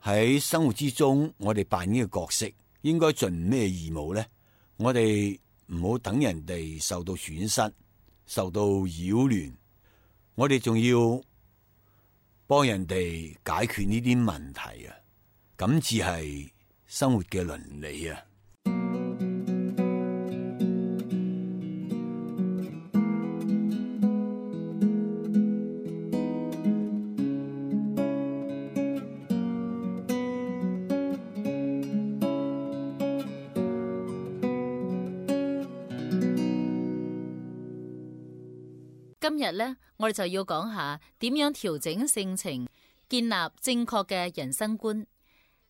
喺生活之中，我哋扮演嘅角色應該盡咩義務呢？我哋唔好等人哋受到損失、受到擾亂，我哋仲要幫人哋解決呢啲問題啊！咁至係生活嘅倫理啊！今日呢，我哋就要講下點樣調整性情，建立正確嘅人生觀。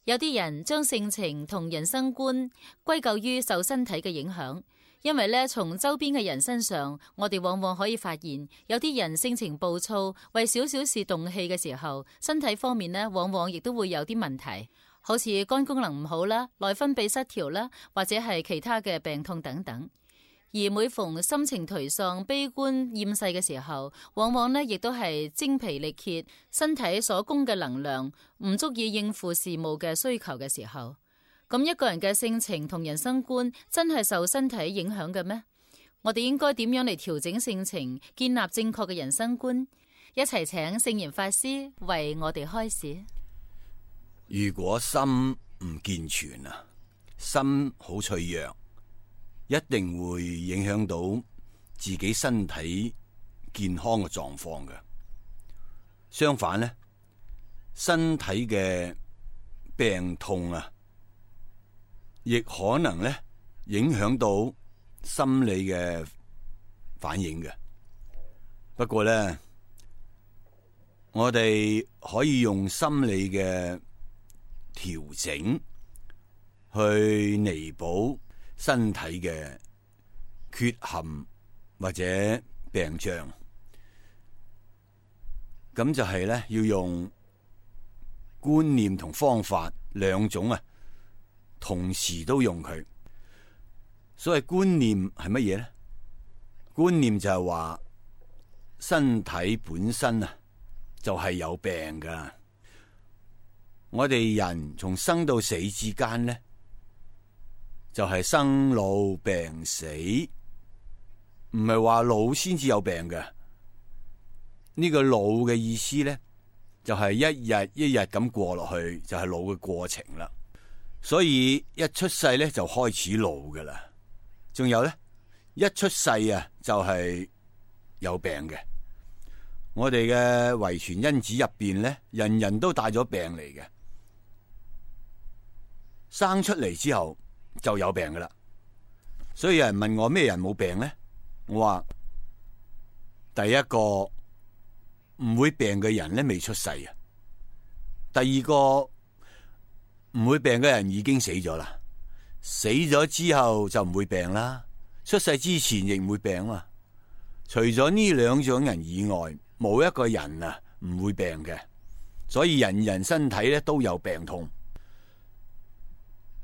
有啲人將性情同人生觀歸咎於受身體嘅影響，因為呢，從周邊嘅人身上，我哋往往可以發現，有啲人性情暴躁，為少少事動氣嘅時候，身體方面呢，往往亦都會有啲問題，好似肝功能唔好啦、內分泌失調啦，或者係其他嘅病痛等等。而每逢心情頹喪、悲觀、厭世嘅時候，往往呢亦都係精疲力竭，身體所供嘅能量唔足以應付事務嘅需求嘅時候。咁一個人嘅性情同人生觀真係受身體影響嘅咩？我哋應該點樣嚟調整性情，建立正確嘅人生觀？一齊請聖嚴法師為我哋開示。如果心唔健全啊，心好脆弱，一定會影響到自己身體健康嘅狀況嘅。相反呢，身體嘅病痛啊，亦可能咧影響到心理嘅反應嘅。不過咧，我哋可以用心理嘅調整去彌補身體嘅缺陷或者病障，咁就係咧要用觀念同方法兩種啊，同時都用佢。所謂觀念係乜嘢咧？觀念就係話身體本身啊就係有病噶。我哋人從生到死之間咧，就係生老病死，唔係話老先至有病嘅。呢個老嘅意思咧，就係一日一日咁過落去，就係老嘅過程啦。所以一出世咧就開始老噶啦。仲有咧，一出世啊就係有病嘅。我哋嘅遺傳因子入邊咧，人人都帶咗病嚟嘅。生出嚟之後就有病噶啦，所以有人問我咩人冇病呢？我話第一個唔會病嘅人咧未出世啊，第二個唔會病嘅人已經死咗啦，死咗之後就唔會病啦，出世之前亦唔會病啊。除咗呢兩種人以外，冇一個人啊唔會病嘅，所以人人身體咧都有病痛。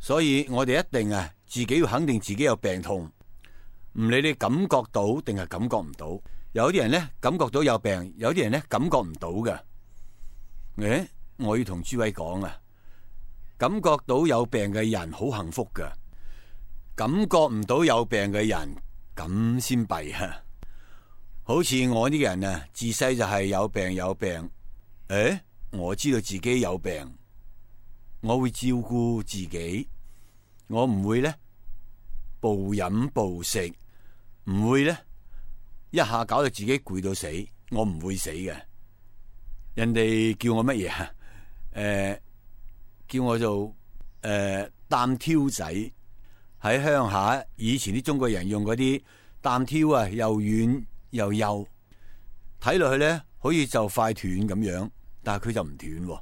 所以我哋一定啊，自己要肯定自己有病痛，唔理你感覺到定係感覺唔到。有啲人咧感覺到有病，有啲人咧感覺唔到嘅。我要同諸位講啊，感覺到有病嘅人好幸福噶，感覺唔到有病嘅人咁先弊啊。好似我呢個人啊，自細就係有病。我知道自己有病。我會照顧自己，我唔會咧暴飲暴食，唔會咧一下搞到自己攰到死，我唔會死嘅。人哋叫我乜嘢啊？叫我做擔挑仔。喺鄉下，以前啲中國人用嗰啲擔挑啊，又軟又幼，睇落去咧好似就快斷咁樣，但係佢就唔斷喎。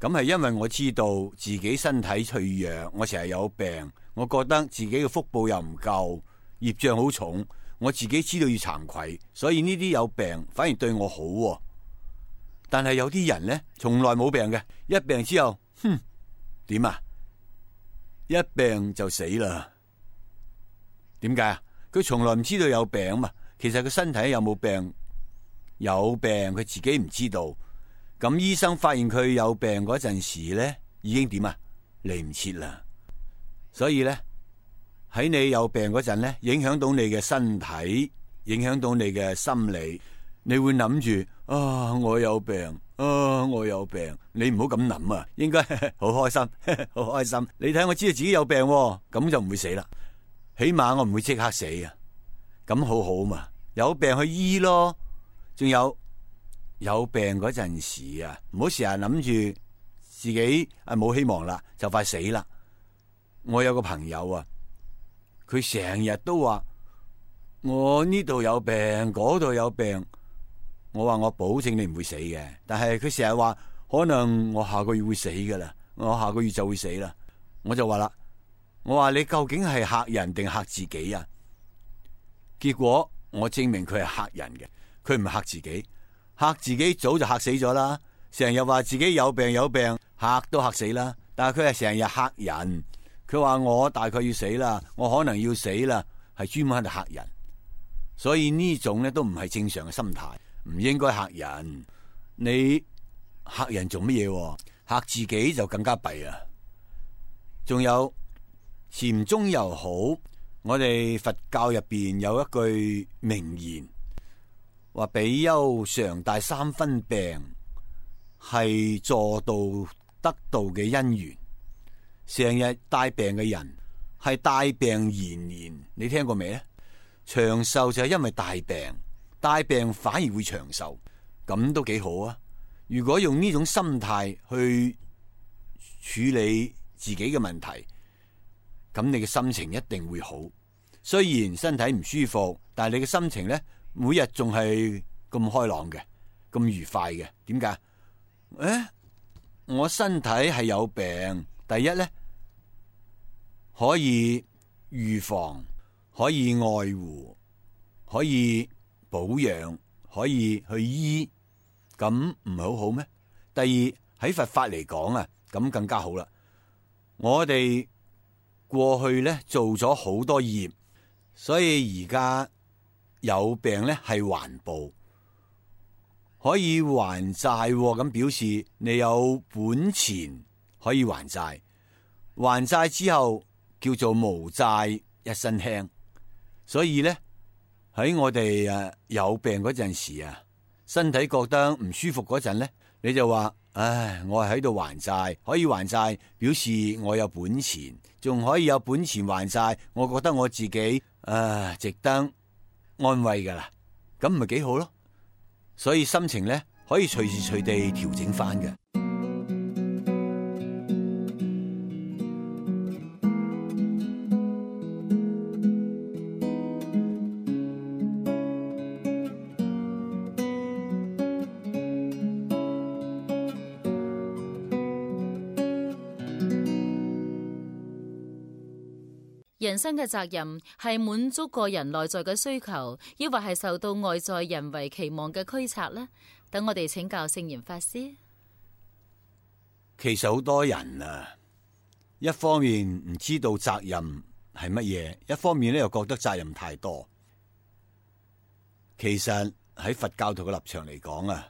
咁係因為我知道自己身體脆弱，我成日有病，我覺得自己嘅福報又唔夠，業障好重，我自己知道要慚愧，所以呢啲有病反而對我好。但係有啲人呢，從來冇病嘅，一病之後，點啊？一病就死啦。點解啊？佢從來唔知道有病嘛，其實佢身體有冇病？有病佢自己唔知道。咁醫生發現佢有病嗰陣時咧，已經點啊？嚟唔切啦。所以咧，喺你有病嗰陣咧，影響到你嘅身體，影響到你嘅心理，你會諗住啊，我有病啊，我有病。你唔好咁諗啊，應該好開心，好開心。你睇我知道自己有病，咁就唔會死啦。起碼我唔會即刻死啊。咁好好嘛，有病去醫咯。仲有病嗰陣時啊，唔好成日諗住自己冇希望啦，就快死啦。我有個朋友啊，佢成日都話我呢度有病，嗰度有病。我話我保證你唔會死嘅，但係佢成日話可能我下個月會死噶啦，我下個月就會死啦。我就話啦，我話你究竟係嚇人定嚇自己啊？結果我證明佢係嚇人嘅，佢唔係嚇自己。嚇自己早就嚇死咗啦，成日話自己有病，嚇都嚇死啦。但係佢係成日嚇人，佢話我大概要死啦，我可能要死啦，係專門喺度嚇人。所以呢種咧都唔係正常嘅心態，唔應該嚇人。你嚇人做乜嘢？嚇自己就更加弊啊！仲有禪宗又好，我哋佛教入邊有一句名言，話比丘常帶3分病，係助道得道嘅因緣。成日帶病嘅人係帶病延年，你聽過未咧？長壽就係因為帶病反而會長壽，咁都幾好啊！如果用呢種心態去處理自己嘅問題，咁你嘅心情一定會好。雖然身體唔舒服，但係你嘅心情咧，每日仲係咁開朗嘅，咁愉快嘅。點解？我身體係有病，第一咧可以預防，可以愛護，可以保養，可以去醫，咁唔係好好咩？第二，喺佛法嚟講啊，咁更加好啦。我哋過去咧做咗好多業，所以而家有病咧係還報，可以還債，咁表示你有本錢可以還債。還債之後叫做無債一身輕。所以咧喺我哋有病嗰陣時啊，身體覺得唔舒服嗰陣咧，你就話唉，我係喺度還債，可以還債，表示我有本錢，仲可以有本錢還債，我覺得我自己值得安慰噶啦，咁唔係幾好咯？所以心情咧可以隨時隨地調整翻嘅。人生嘅責任係滿足個人內在嘅需求，抑或係受到外在人為期望嘅驅策呢？等我哋請教聖嚴法師。其實好多人一方面唔知道責任係乜嘢，一方面咧又覺得責任太多。其實喺佛教徒嘅立場嚟講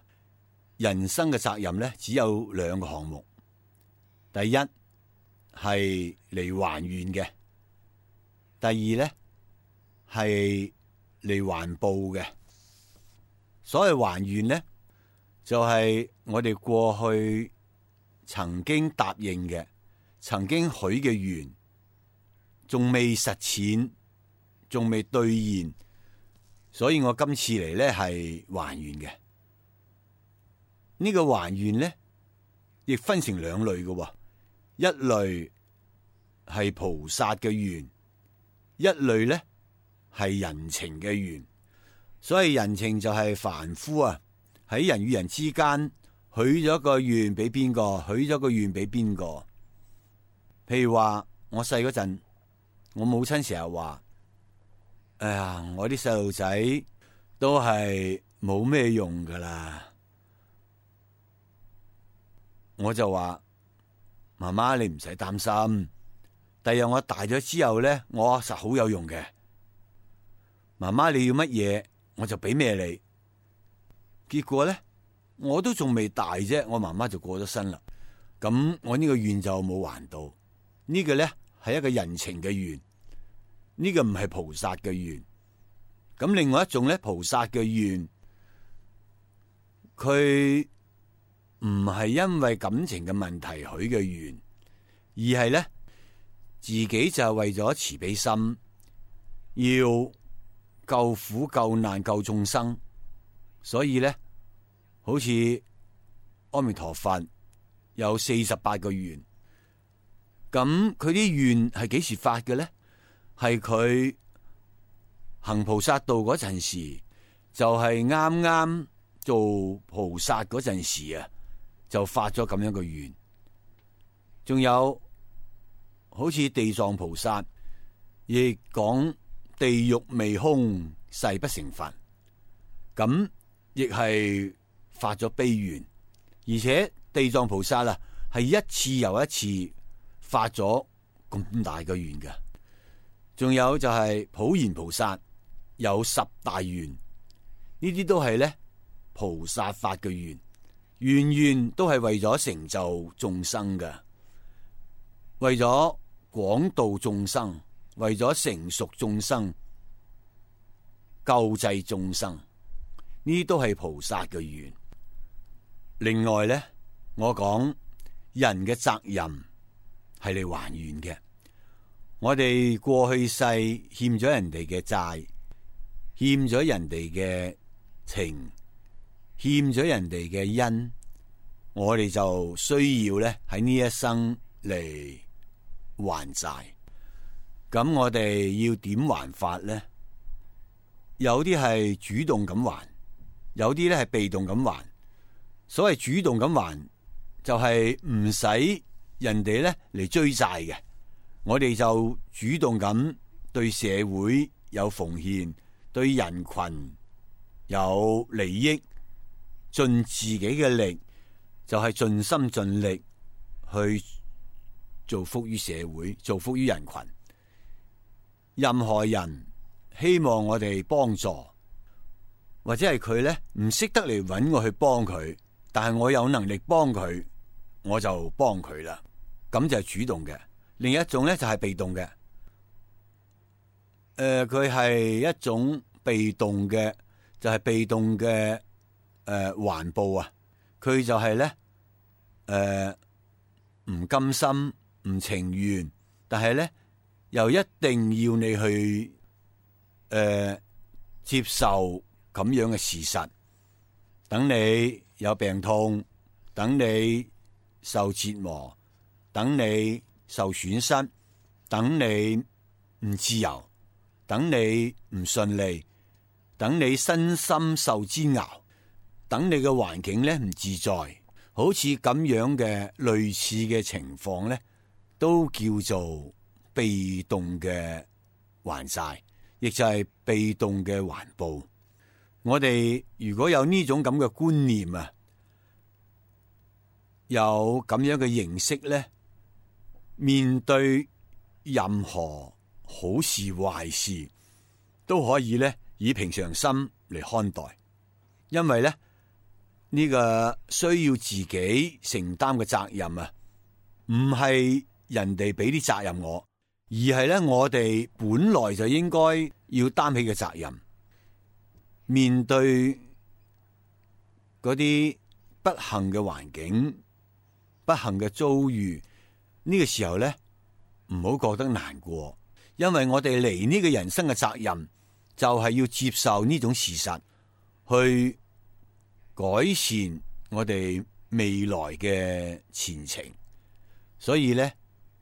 人生嘅責任咧只有2個項目。第一係嚟還願嘅。第二咧係嚟還報嘅。所謂還願咧，就係我哋過去曾經答應嘅、曾經許嘅願，仲未實踐，仲未兌現，所以我今次嚟咧係還願嘅。呢個還願咧，亦分成2類嘅，一類係菩薩嘅願。一類咧係人情嘅願，所以人情就係凡夫喺人與人之間許咗個願俾邊個，許咗個願俾邊個。譬如話我細嗰陣，我母親成日話：哎呀，我啲細路仔都係冇咩用噶啦。我就話：媽媽，你唔使擔心。第日我大咗之後咧，我實好有用嘅。媽媽，你要乜嘢我就俾咩你。結果咧，我都仲未大啫，我媽媽就過咗身啦。咁我呢個願就冇還到。呢個咧係一個人情嘅願，呢個唔係菩薩嘅願。咁另外一種咧，菩薩嘅願，佢唔係因為感情嘅問題許嘅願，而係咧自己就係為咗慈悲心，要救苦救難救眾生，所以咧好似阿彌陀佛有48個願。咁佢啲願係幾時發嘅咧？係佢行菩薩道嗰陣時，就係啱啱做菩薩嗰陣時啊，就發咗咁樣嘅願。仲有好似地藏菩薩亦講地獄未空，誓不成佛，咁亦係發咗悲願。而且地藏菩薩啊，係一次又一次發咗咁大嘅願嘅。仲有就係普賢菩薩有10大願，呢啲都係咧菩薩發嘅願，願願都係為咗成就眾生嘅，為咗廣度眾生，為咗成熟眾生，救濟眾生，呢啲都係菩薩嘅願。另外咧，我講人嘅責任係嚟還願嘅。我哋過去世欠咗人哋嘅債，欠咗人哋嘅情，欠咗人哋嘅恩，我哋就需要咧喺呢一生嚟還債。咁我哋要點還法咧？有啲係主動咁還，有啲咧係被動咁還。所謂主動咁還，就係唔使人哋咧嚟追債嘅。我哋就主動咁對社會有奉獻，對人群有利益，盡自己嘅力，就係盡心盡力去造福於社會，造福於人群。任何人希望我哋幫助，或者係佢咧唔識得嚟搵我去幫佢，但係我有能力幫佢，我就幫佢啦。咁就係主動嘅。另一種咧就係被動嘅，佢係一種被動嘅，就係被動嘅還報啊。佢就係咧唔甘心唔情願，但係咧又一定要你去接受咁樣嘅事實。等你有病痛，等你受折磨，等你受損失，等你唔自由，等你唔順利，等你身心受煎熬，等你嘅環境咧唔自在，好似咁樣嘅類似嘅情況咧，都叫做被動嘅還債，亦就係被動嘅還報。我哋如果有呢種咁嘅觀念啊，有咁樣嘅認識咧，面對任何好事壞事都可以咧以平常心嚟看待，因為咧呢個需要自己承擔嘅責任啊，唔係人哋俾啲責任我，而係咧我哋本來就應該要擔起嘅責任。面對嗰啲不幸嘅環境、不幸嘅遭遇，呢個時候咧，唔好覺得難過，因為我哋嚟呢個人生嘅責任就係要接受呢種事實，去改善我哋未來嘅前程。所以咧，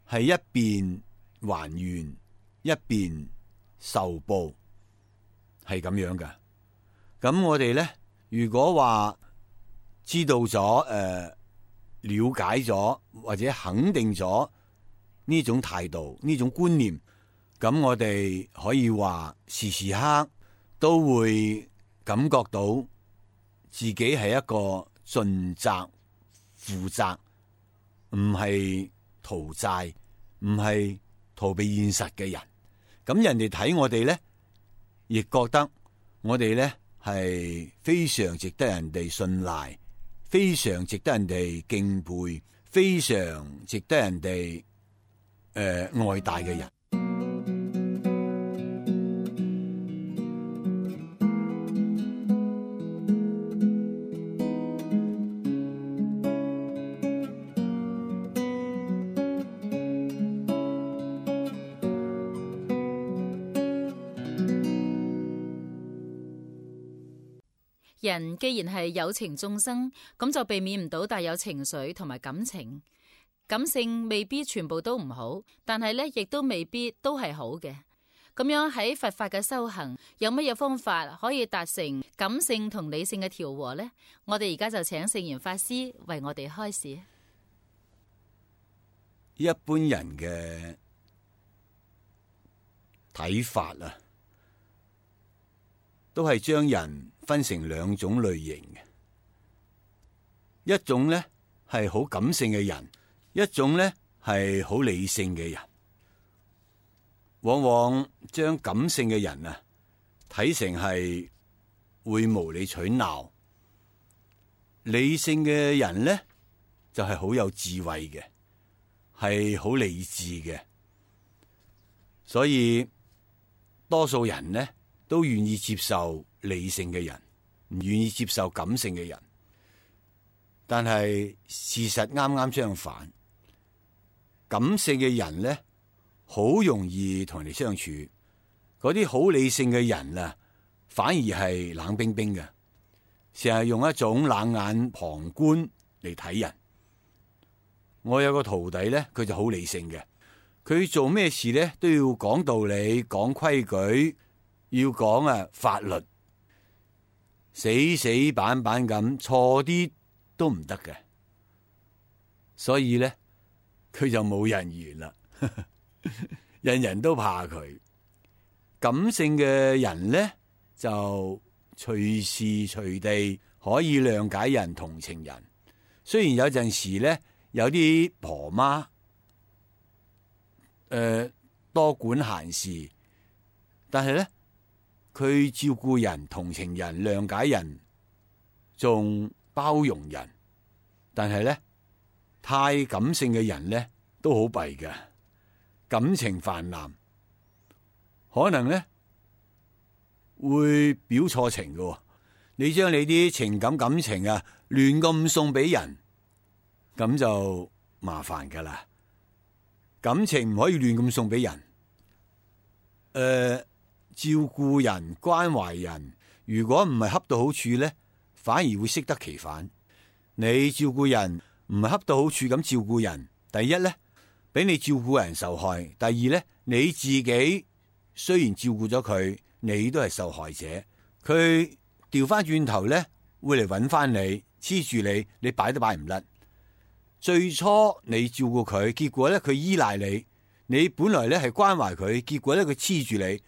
係一邊還願，一邊受報，係咁樣噶。咁我哋咧，如果話知道咗、了解咗或者肯定咗呢種態度、呢種觀念，咁我哋可以話時時刻都會感覺到自己係一個盡責、負責，唔係逃債，唔係逃避現實嘅人。咁人哋睇我哋咧，亦覺得我哋咧係非常值得人哋信賴，非常值得人哋敬佩，非常值得人哋愛戴嘅人。人既然係有情眾生，咁就避免唔到帶有情緒同埋感情。感性未必全部都唔好，但係咧亦都未必都係好嘅。咁樣喺佛法嘅修行，有乜嘢方法可以達成感性同理性嘅調和呢？我哋而家就請聖嚴法師為我哋開示。一般人嘅睇法啊，都係將人分成兩種類型嘅，一種呢係好感性嘅人，一種呢係好理性嘅人。往往將感性嘅人啊睇成係會無理取鬧，理性嘅人呢就係好有智慧嘅，係好理智嘅。所以多數人呢都願意接受理性嘅人，唔願意接受感性嘅人。但係事實啱啱相反，感性嘅人呢好容易同人哋相處，嗰啲好理性嘅人啊，反而係冷冰冰嘅，成日用一種冷眼旁觀嚟睇人。我有個徒弟呢，佢就好理性嘅，佢做咩事呢都要講道理、講規矩，要講法律，死死板板咁，錯啲都唔得嘅。所以呢，佢就冇人緣啦，人人都怕佢。感性嘅人呢，就隨時隨地可以諒解人、同情人。雖然有陣時呢，有啲婆媽多管閒事，但係呢，佢照顧人、同情人、諒解人，仲包容人。但係呢，太感性嘅人呢都好弊㗎，感情泛濫，可能呢會表錯情㗎。你將你啲情感感情啊亂咁送俾人，咁就麻煩噶啦。感情唔可以亂咁送俾人。照顧人、關懷人，如果唔係恰到好處呢，反而會適得其反。你照顧人唔係恰到好處咁照顧人，第一呢，俾你照顧人受害；第二呢，你自己雖然照顧咗佢，你都係受害者。佢調翻轉頭呢，會嚟揾翻你，黐住你，你擺都擺唔甩。最初你照顧佢，結果呢，佢依賴你，你本來呢係關懷佢，結果呢，佢黐住你。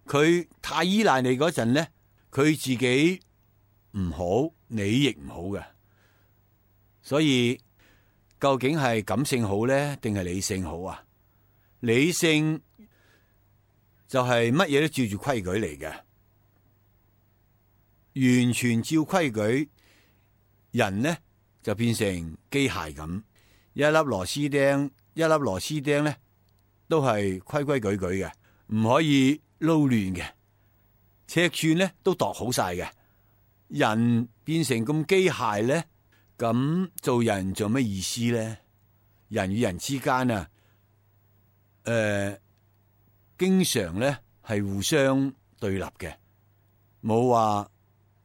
佢太依賴你嗰陣呢，佢自己唔好，你亦唔好嘅。所以究竟係感性好呢，定係理性好啊？理性就係乜嘢都照住規矩嚟嘅，完全照規矩，人呢就變成機械咁，一粒螺絲釘呢都係規規矩矩嘅，唔可以撈亂嘅，尺寸呢都度好晒嘅。人變成咁機械呢，咁做人做咩意思呢？人與人之間啊，經常呢係互相對立嘅，冇話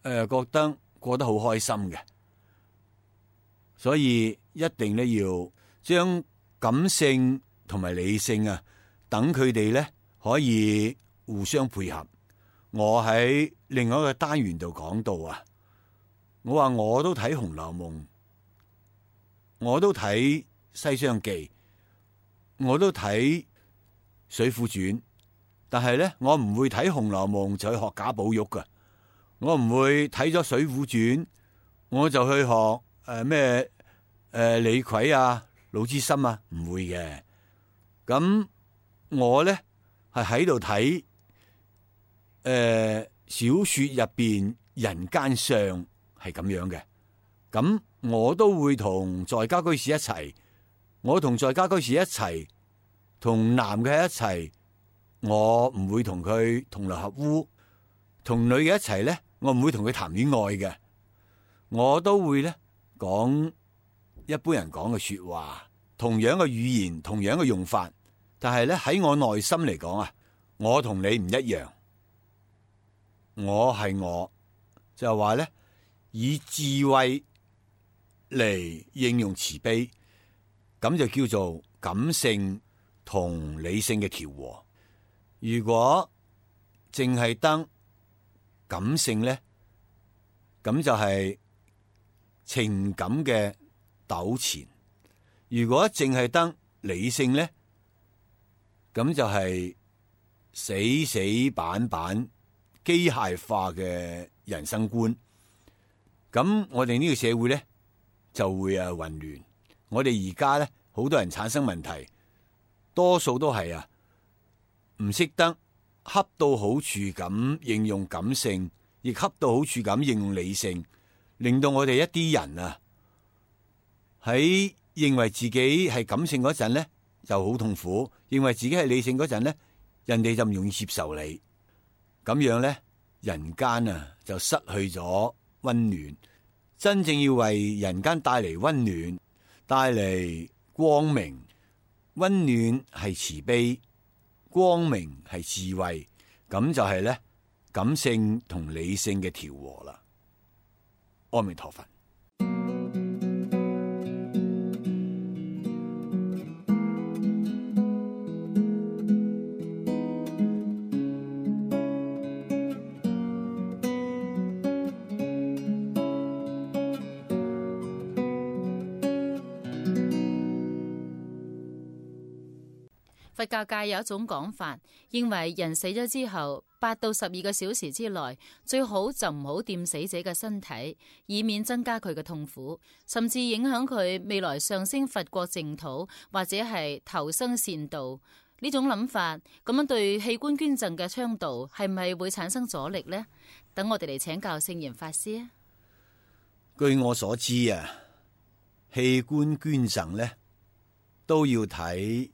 覺得過得好開心嘅。所以一定呢要將感性同埋理性啊，等佢哋呢可以互相配合。我喺另外一個單元度講到啊，我話我都睇《紅樓夢》，我都睇《西廂記》，我都睇《水滸傳》，但係咧我唔會睇《紅樓夢》就去學賈寶玉噶，我唔會睇咗《水滸傳》我就去學咩李逵啊、魯智深啊，唔會嘅。咁我咧係喺度睇小說入邊人間相係咁樣嘅，咁我都會同在家居士一齊，我同在家居士一齊，同男嘅一齊，我唔會同佢同流合污；同女嘅一齊咧，我唔會同佢談戀愛嘅。我都會咧講一般人講嘅說話，同樣嘅語言，同樣嘅用法，但係咧喺我內心嚟講啊，我同你唔一樣。我係我，就係話咧，以智慧嚟應用慈悲，咁就叫做感性同理性嘅調和。如果淨係得感性咧，咁就係情感嘅糾纏；如果淨係得理性咧，咁就係死死板板機械化嘅人生觀。咁我哋呢個社會咧就會混亂。我哋而家咧好多人產生問題，多數都係唔識得恰到好處咁應用感性，亦恰到好處咁應用理性，令到我哋一啲人喺認為自己係感性嗰陣咧就好痛苦，認為自己係理性嗰陣咧，人哋就唔容易接受你。咁樣咧，人間就失去咗溫暖。真正要為人間帶嚟溫暖，帶嚟光明。溫暖係慈悲，光明係智慧，咁就係咧感性同理性嘅調和啦。阿彌陀佛。佛教界有一種講法，認為人死咗之後8到12個小時之內，最好就唔好掂死者嘅身體，以免增加佢嘅痛苦，甚至影響佢未來上升佛國淨土或者係投生善道。呢種諗法咁樣對器官捐贈嘅倡導係咪會產生阻力呢？等我哋嚟請教聖嚴法師啊。據我所知器官捐贈咧都要睇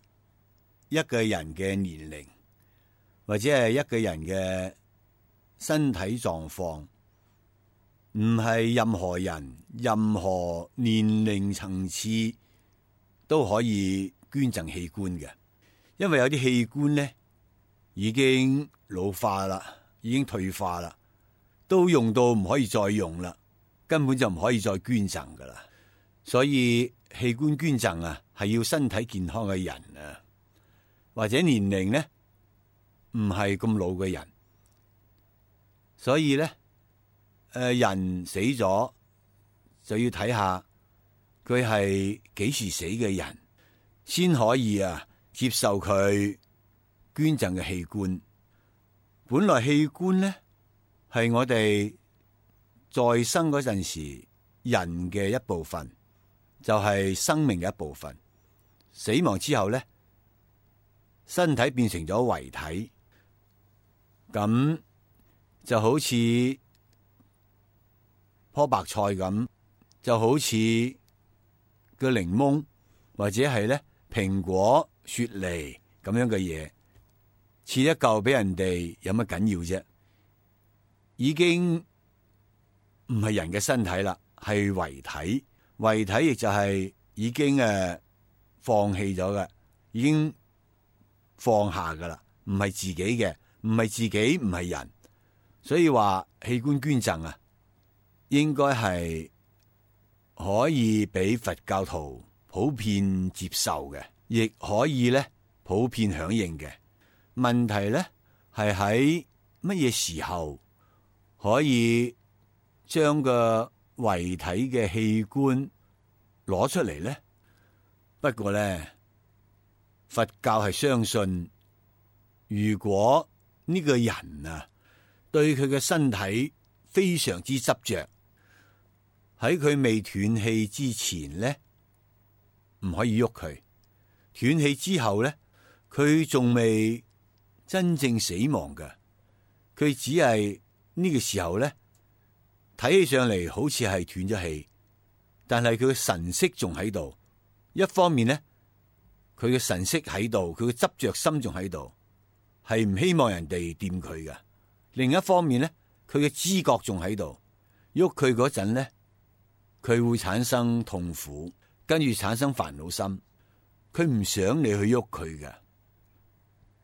一個人嘅年齡，或者係一個人嘅身體狀況，唔係任何人、任何年齡層次都可以捐贈器官嘅。因為有啲器官咧已經老化啦，已經退化啦，都用到唔可以再用啦，根本就唔可以再捐贈噶啦。所以器官捐贈係要身體健康嘅人或者年齡咧唔係咁老嘅人。所以咧人死咗就要睇下佢係幾時死嘅人，先可以接受佢捐贈嘅器官。本來器官咧係我哋在生嗰陣時人嘅一部分，就係生命嘅一部分。死亡之後咧，身體變成咗遺體，咁就好似棵白菜咁，就好似個檸檬或者係咧蘋果、雪梨咁樣嘅嘢，切一嚿俾人哋有乜緊要啫？已經唔係人嘅身體啦，係遺體。遺體亦就係已經放棄咗嘅，已經放下噶啦，唔係自己嘅，唔係自己，唔係人。所以話器官捐贈應該係可以俾佛教徒普遍接受嘅，亦可以咧普遍響應嘅。問題咧係喺乜嘢時候可以將個遺體嘅器官攞出嚟咧？不過咧，佛教係相信，如果呢個人對佢嘅身體非常之執着，喺佢未斷氣之前咧，唔可以喐佢。斷氣之後咧，佢仲未真正死亡嘅，佢只係呢個時候咧，睇起上嚟好似係斷咗氣，但係佢嘅神色仲喺度。一方面咧，佢嘅神色喺度，佢嘅執着心仲喺度，係唔希望人哋掂佢嘅。另一方面咧，佢嘅知覺仲喺度，喐佢嗰陣咧，佢會產生痛苦，跟住產生煩惱心，佢唔想你去喐佢嘅。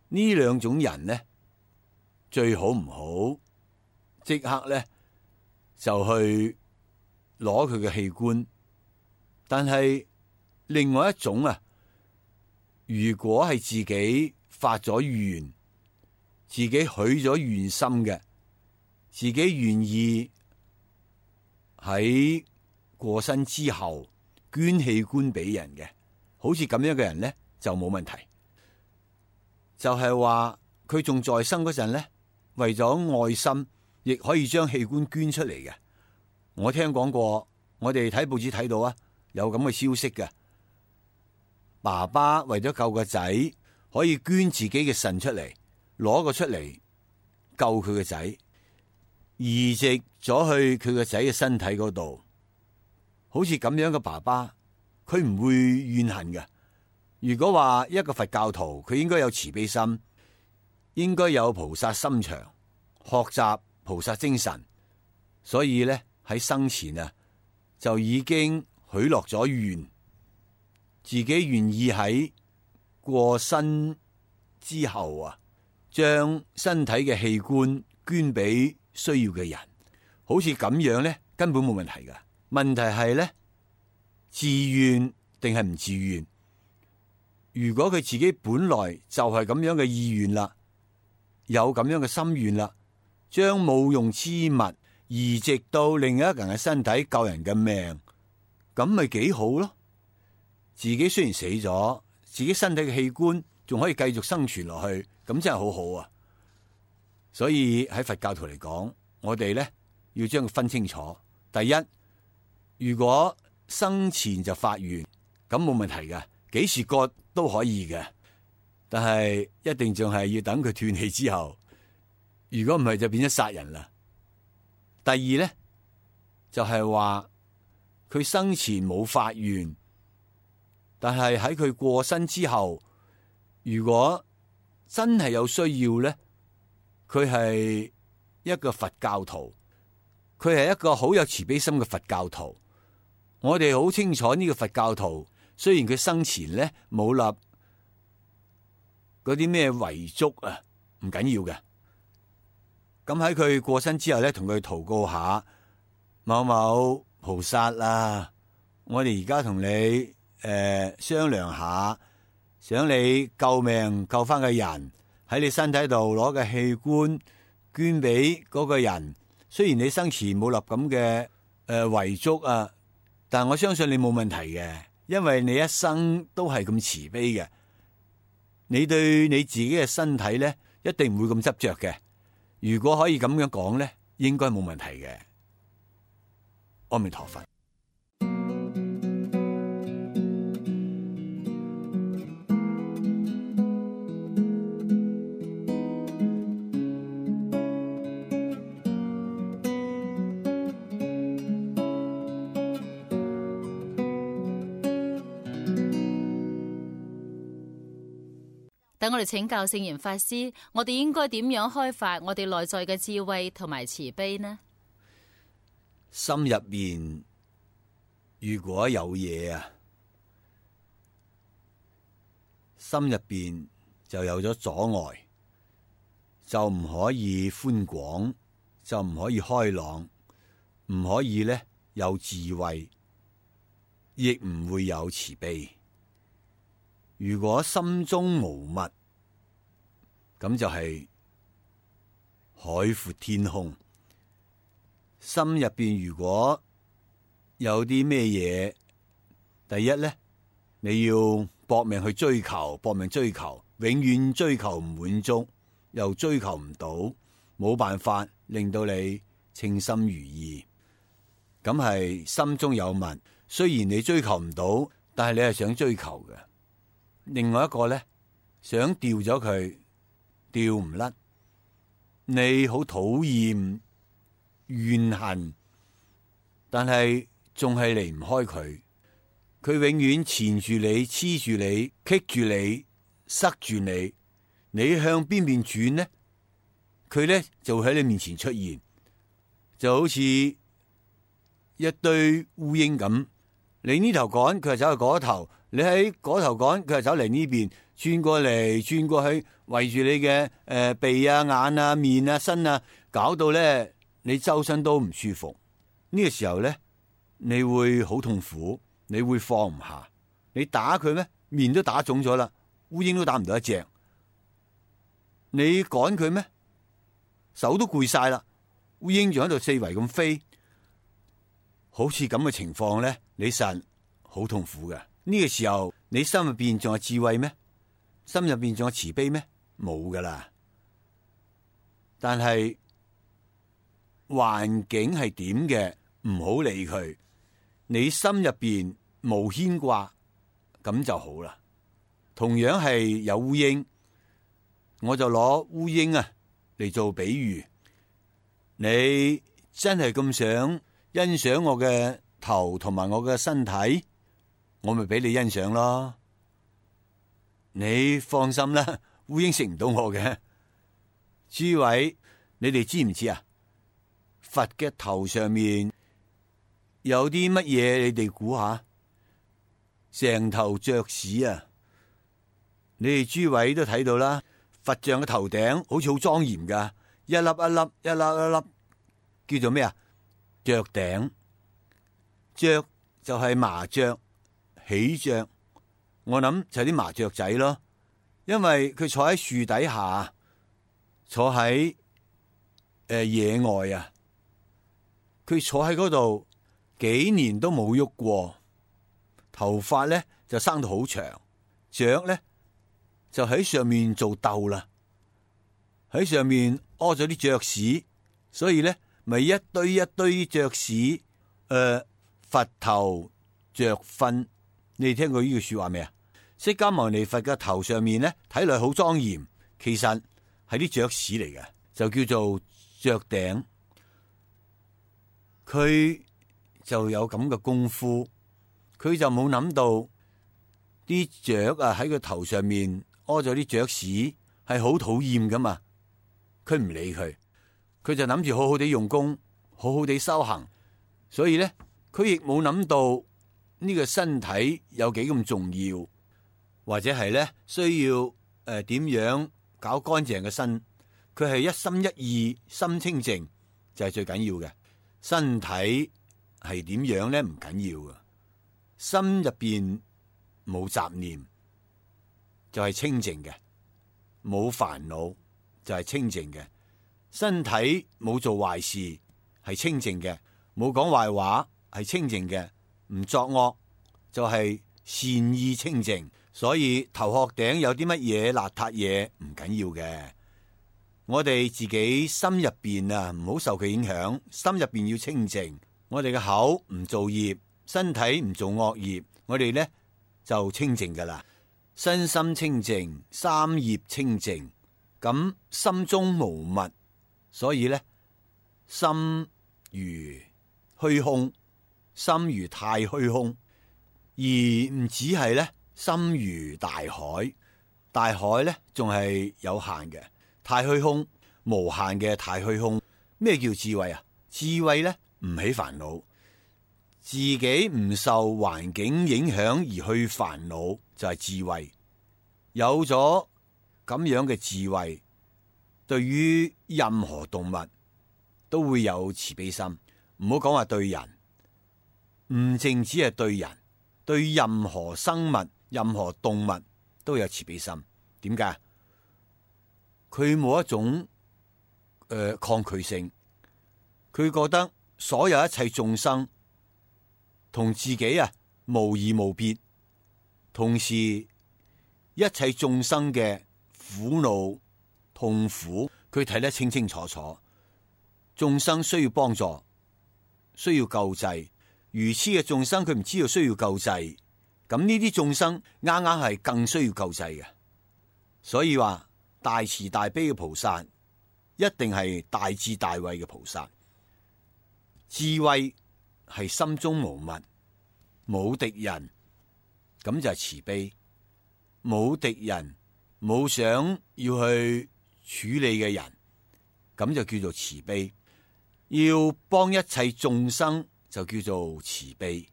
呢兩種人咧，最好唔好即刻咧就去攞佢嘅器官。但係另外一種啊，如果係自己發咗願，自己許咗願心嘅，自己願意喺過身之後捐器官俾人嘅，好似咁樣嘅人咧就冇問題。就係話佢仲在生嗰陣咧，為咗愛心，亦可以將器官捐出嚟嘅。我聽講過，我哋睇報紙睇到啊，有咁嘅消息嘅。爸爸為咗救個仔，可以捐自己嘅腎出嚟，攞個出嚟救佢個仔，移植咗去佢個仔嘅身體嗰度。好似咁樣嘅爸爸，佢唔會怨恨嘅。如果話一個佛教徒，佢應該有慈悲心，應該有菩薩心腸，學習菩薩精神，所以咧喺生前啊就已經許落咗願，自己願意喺過身之後啊，將身體嘅器官捐俾需要嘅人。好似咁樣咧，根本冇問題噶。問題係咧，自願定係唔自願？如果佢自己本來就係咁樣嘅意願啦，有咁樣嘅心願啦，將冇用之物移植到另一個人嘅身體救人嘅命，咁咪幾好咯？自己雖然死咗，自己身體嘅器官仲可以繼續生存落去，咁真係好好啊！所以喺佛教徒嚟講，我哋咧要將佢分清楚。第一，如果生前就發願，咁冇問題嘅，幾時割都可以嘅，但係一定仲係要等佢斷氣之後。如果唔係，就變咗殺人啦。第二咧，就係話佢生前冇發願，但係喺佢過身之後，如果真係有需要咧，佢係一個佛教徒，佢係一個好有慈悲心嘅佛教徒。我哋好清楚呢個佛教徒，雖然佢生前咧冇立嗰啲咩遺囑啊，唔緊要嘅。咁喺佢過身之後咧，同佢禱告下，某某菩薩啊，我哋而家同你商量下，想你救命救翻個人，喺你身體度攞嘅器官捐俾嗰個人。雖然你生前冇立咁嘅遺囑啊，但我相信你冇問題嘅，因為你一生都係咁慈悲嘅，你對你自己嘅身體咧一定唔會咁執着嘅。如果可以咁樣講咧，應該冇問題嘅。阿彌陀佛。等我哋請教聖嚴法師，我哋應該點樣開發我哋內在嘅智慧同埋慈悲呢？心入邊如果有嘢啊，心入邊就有咗阻礙，就唔可以寬廣，就唔可以開朗，唔可以咧有智慧，亦唔會有慈悲。如果心中無物，咁就係海闊天空。心入邊如果有啲咩嘢，第一咧，你要搏命去追求，搏命追求，永遠追求唔滿足，又追求唔到，冇辦法令到你稱心如意。咁係心中有物，雖然你追求唔到，但係你係想追求嘅。另外一個咧，想掉咗佢，掉唔甩，你好討厭怨恨，但係仲係離唔開佢，佢永遠纏住你、黐住你、棘住你、塞住你，你向邊邊轉呢？佢呢就會喺你面前出現，就好似一堆烏蠅咁。你呢頭趕，佢就走去嗰頭；你喺嗰頭趕，佢就走嚟呢邊，轉過嚟轉過去，圍住你嘅鼻啊、眼啊、面啊、身啊，搞到咧你周身都唔舒服。呢個時候咧，你會好痛苦，你會放唔下。你打佢咩？面都打腫咗啦，烏蠅都打唔到一隻。你趕佢咩？手都攰晒啦，烏蠅仲喺度四圍咁飛。好似咁嘅情況咧，你實好痛苦嘅。呢個時候，你心入邊仲有智慧咩？心入邊仲有慈悲咩？冇噶啦。但係環境係點嘅，唔好理佢。你心入邊無牽掛，咁就好啦。同樣係有烏蠅，我就攞烏蠅啊嚟做比喻。你真係咁想欣賞我嘅頭同埋我嘅身體，我咪俾你欣賞咯。你放心啦，烏蠅食唔到我嘅。諸位，你哋知唔知啊？佛嘅頭上面有啲乜嘢？你哋估下？成頭雀屎啊！你哋諸位都睇到啦，佛像嘅頭頂好似好莊嚴噶，一粒一粒，一粒一粒，叫做咩啊？雀頂。雀就係麻雀、喜鵲，我諗就係啲麻雀仔咯，因為佢坐喺樹底下，坐喺野外啊，佢坐喺嗰度幾年都冇喐過，頭髮咧就生到好長，雀咧就喺上面做竇啦，喺上面屙咗啲雀屎，所以咧咪一堆一堆雀屎，佛頭雀糞，你哋聽過呢句說話未啊？釋迦牟尼佛嘅頭上面咧睇落好莊嚴，其實係啲雀屎嚟嘅，就叫做雀頂。佢就有咁嘅功夫，佢就冇諗到啲雀啊喺佢頭上面屙咗啲雀屎係好討厭噶嘛，佢唔理佢，佢就諗住好好地用功，好好地修行，所以咧佢亦冇諗到呢個身體有幾咁重要，或者係咧需要點樣搞乾淨嘅身，佢係一心一意，心清淨就係最緊要嘅。身體係點樣咧唔緊要嘅，心入邊冇雜念就係清淨嘅，冇煩惱就係清淨嘅，身體冇做壞事係清淨嘅，冇講壞話係清淨嘅，唔作惡就係善意清淨。所以頭殼頂有啲乜嘢邋遢嘢唔緊要嘅，我哋自己心入邊啊唔好受佢影響，心入邊要清淨。我哋嘅口唔做業，身體唔做惡業，我哋咧就清淨噶啦。身心清淨，三業清淨，咁心中無物，所以咧心如虛空，心如太虛空，而唔只係咧心如大海。大海咧仲係有限嘅，太虛空無限嘅太虛空。咩叫智慧啊？智慧咧唔起煩惱，自己唔受環境影響而去煩惱就係智慧。有咗咁樣嘅智慧，對於任何動物都會有慈悲心。唔好講話對人，唔淨止係對人，對任何生物、任何動物都有慈悲心。點解？佢冇一種抗拒性，佢覺得所有一切眾生同自己啊無異無別，同時一切眾生嘅苦惱痛苦，佢睇得清清楚楚。眾生需要幫助，需要救濟，愚痴嘅眾生佢唔知道需要救濟，咁呢啲眾生啱啱係更需要救濟嘅。所以話大慈大悲嘅菩薩一定係大智大慧嘅菩薩。智慧係心中無物，冇敵人，咁就係慈悲。冇敵人，冇想要去處理嘅人，咁就叫做慈悲。要幫一切眾生，就叫做慈悲。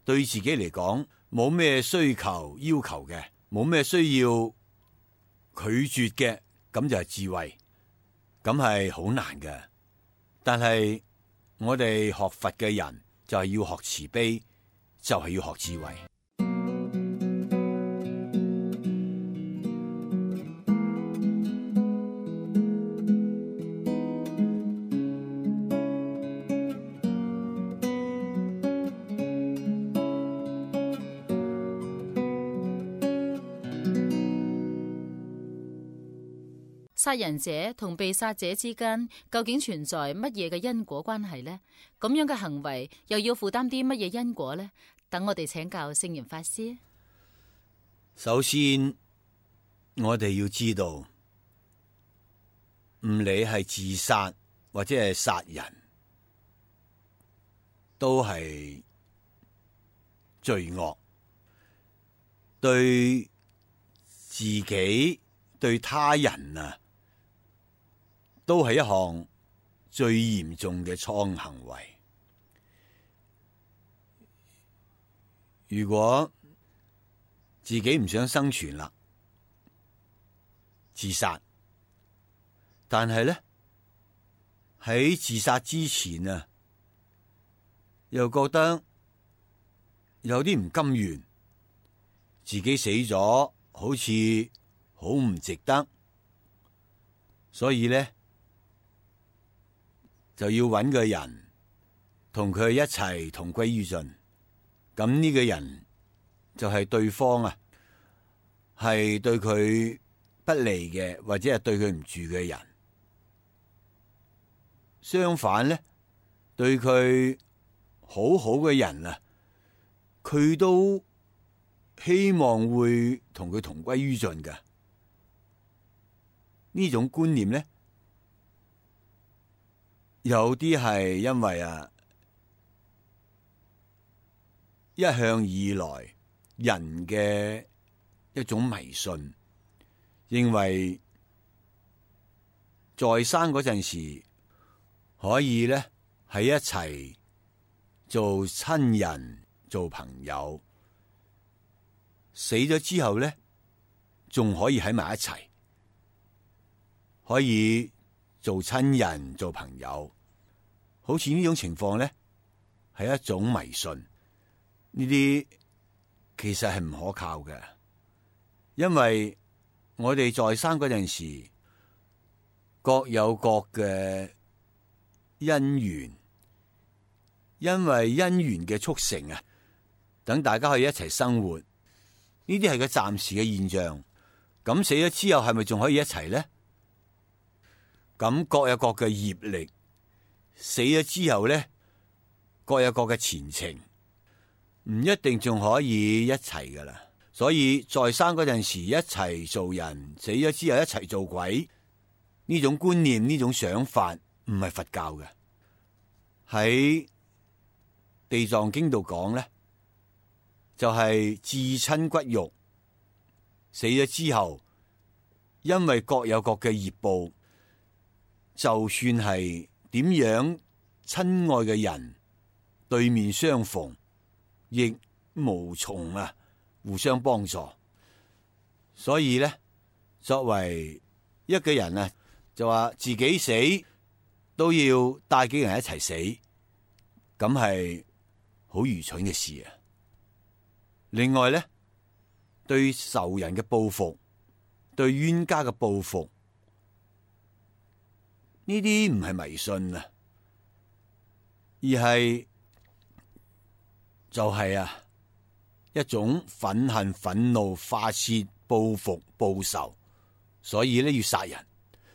對自己嚟講，冇咩需求要求嘅，冇咩需要拒絕嘅，咁就係智慧。咁係好難嘅，但係我哋學佛嘅人就係要學慈悲，就係要學智慧。殺人者同被殺者之間究竟存在乜嘢嘅因果關係呢？咁樣嘅行為又要負擔啲乜嘢因果呢？等我哋請教聖嚴法師。首先，我哋要知道，唔理係自殺或者係殺人，都係罪惡，對自己對他人啊，都係一項最嚴重嘅錯誤行為。如果自己唔想生存啦，自殺，但係咧喺自殺之前啊，又覺得有啲唔甘願，自己死咗好似好唔值得，所以咧就要揾個人同佢一齊同歸於盡。咁呢個人就係對方啊，係對佢不利嘅，或者係對佢唔住嘅人。相反咧，對佢好好嘅人啊，佢都希望會同佢同歸於盡嘅。呢種觀念咧，有啲係因為一向以來人嘅一種迷信，認為在生嗰陣時可以咧喺一齊做親人、做朋友，死咗之後咧仲可以喺埋一齊，可以做親人、做朋友。好似呢種情況咧係一種迷信。呢啲其實係唔可靠嘅，因為我哋在生嗰陣時各有各嘅因緣，因為因緣嘅促成啊，等大家可以一齊生活，呢啲係個暫時嘅現象。咁死咗之後係咪仲可以一齊咧？咁各有各嘅業力，死咗之後咧各有各嘅前程。唔一定仲可以一齊噶啦，所以在生嗰陣時一齊做人，死咗之後一齊做鬼，呢種觀念、呢種想法唔係佛教嘅。喺地藏經度講咧，就係至親骨肉，死咗之後，因為各有各嘅業報，就算係點樣親愛嘅人對面相逢，亦無從互相幫助。所以咧，作為一個人就話自己死都要帶幾個人一齊死，咁係好愚蠢嘅事啊！另外咧，對仇人嘅報復，對冤家嘅報復，呢啲唔係迷信啊，而係就係一種憤恨、憤怒、發洩、報復、報仇，所以咧要殺人。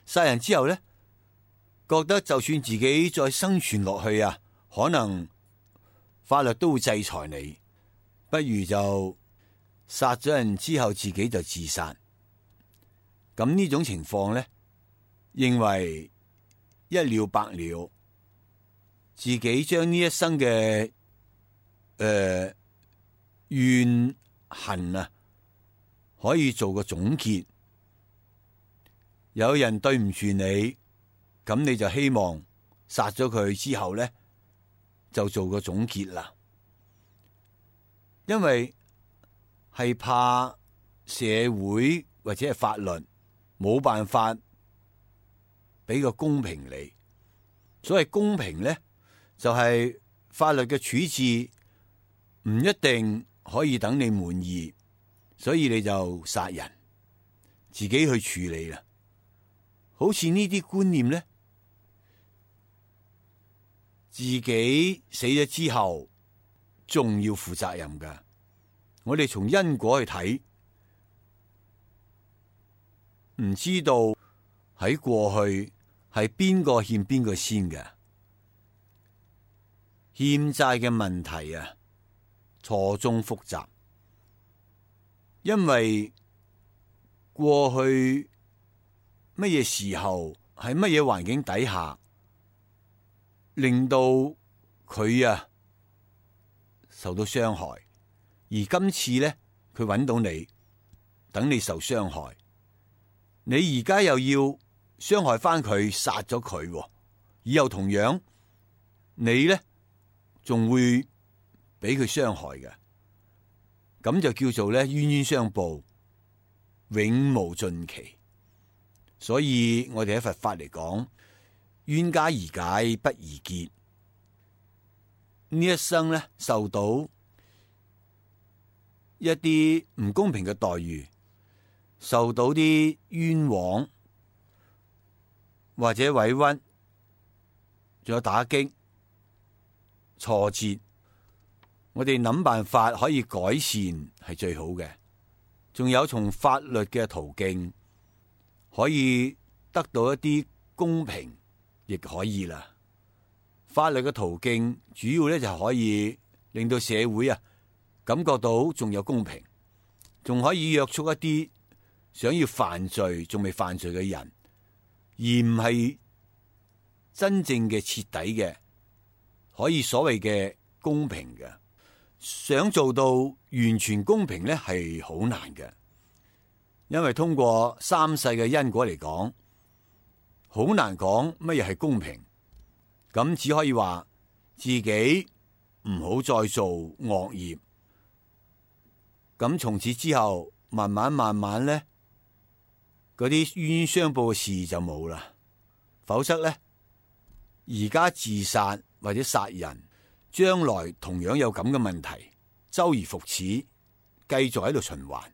殺人之後咧，覺得就算自己再生存落去可能法律都會制裁你，不如就殺咗人之後自己就自殺。咁呢種情況咧，認為一了百了，自己將呢一生嘅怨恨啊，可以做個總結。有人對唔住你，咁你就希望殺咗佢之後咧，就做個總結啦。因為係怕社會或者係法律冇辦法俾個公平你。所謂公平咧，就係法律嘅處置唔一定可以等你滿意，所以你就殺人，自己去處理啦。好似呢啲觀念咧，自己死咗之後仲要負責任噶。我哋從因果去睇，唔知道喺過去係邊個欠邊個先嘅。欠債嘅問題啊，錯綜複雜，因為過去乜嘢時候喺乜嘢環境底下，令到佢啊受到傷害，而今次咧佢揾到你，等你受傷害，你而家又要傷害翻佢，殺咗佢，以後同樣你咧仲會俾佢傷害嘅，咁就叫做咧冤冤相報，永無盡期。所以我哋喺佛法嚟講，冤家宜解不宜結。呢一生咧受到一啲唔公平嘅待遇，受到啲冤枉或者委屈，仲有打擊、挫折，我哋諗辦法可以改善係最好嘅。仲有從法律嘅途徑可以得到一啲公平，亦可以啦。法律嘅途徑主要咧就可以令到社會啊感覺到仲有公平，仲可以約束一啲想要犯罪仲未犯罪嘅人，而唔係真正嘅徹底嘅可以所謂嘅公平嘅。想做到完全公平咧係好難嘅，因為通過三世嘅因果嚟講，好難講乜嘢係公平。咁只可以話自己唔好再做惡業，咁從此之後慢慢咧，嗰啲冤冤相報嘅事就冇啦。否則咧，而家自殺或者殺人，將來同樣有咁嘅問題，周而復始，繼續喺度循環，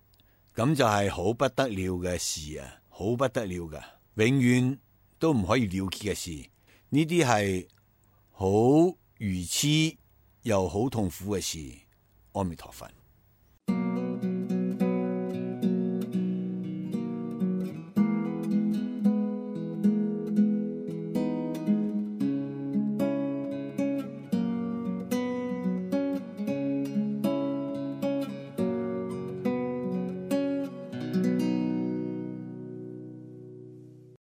咁就係好不得了嘅事啊！好不得了噶，永遠都唔可以了結嘅事。呢啲係好愚癡又好痛苦嘅事。阿彌陀佛。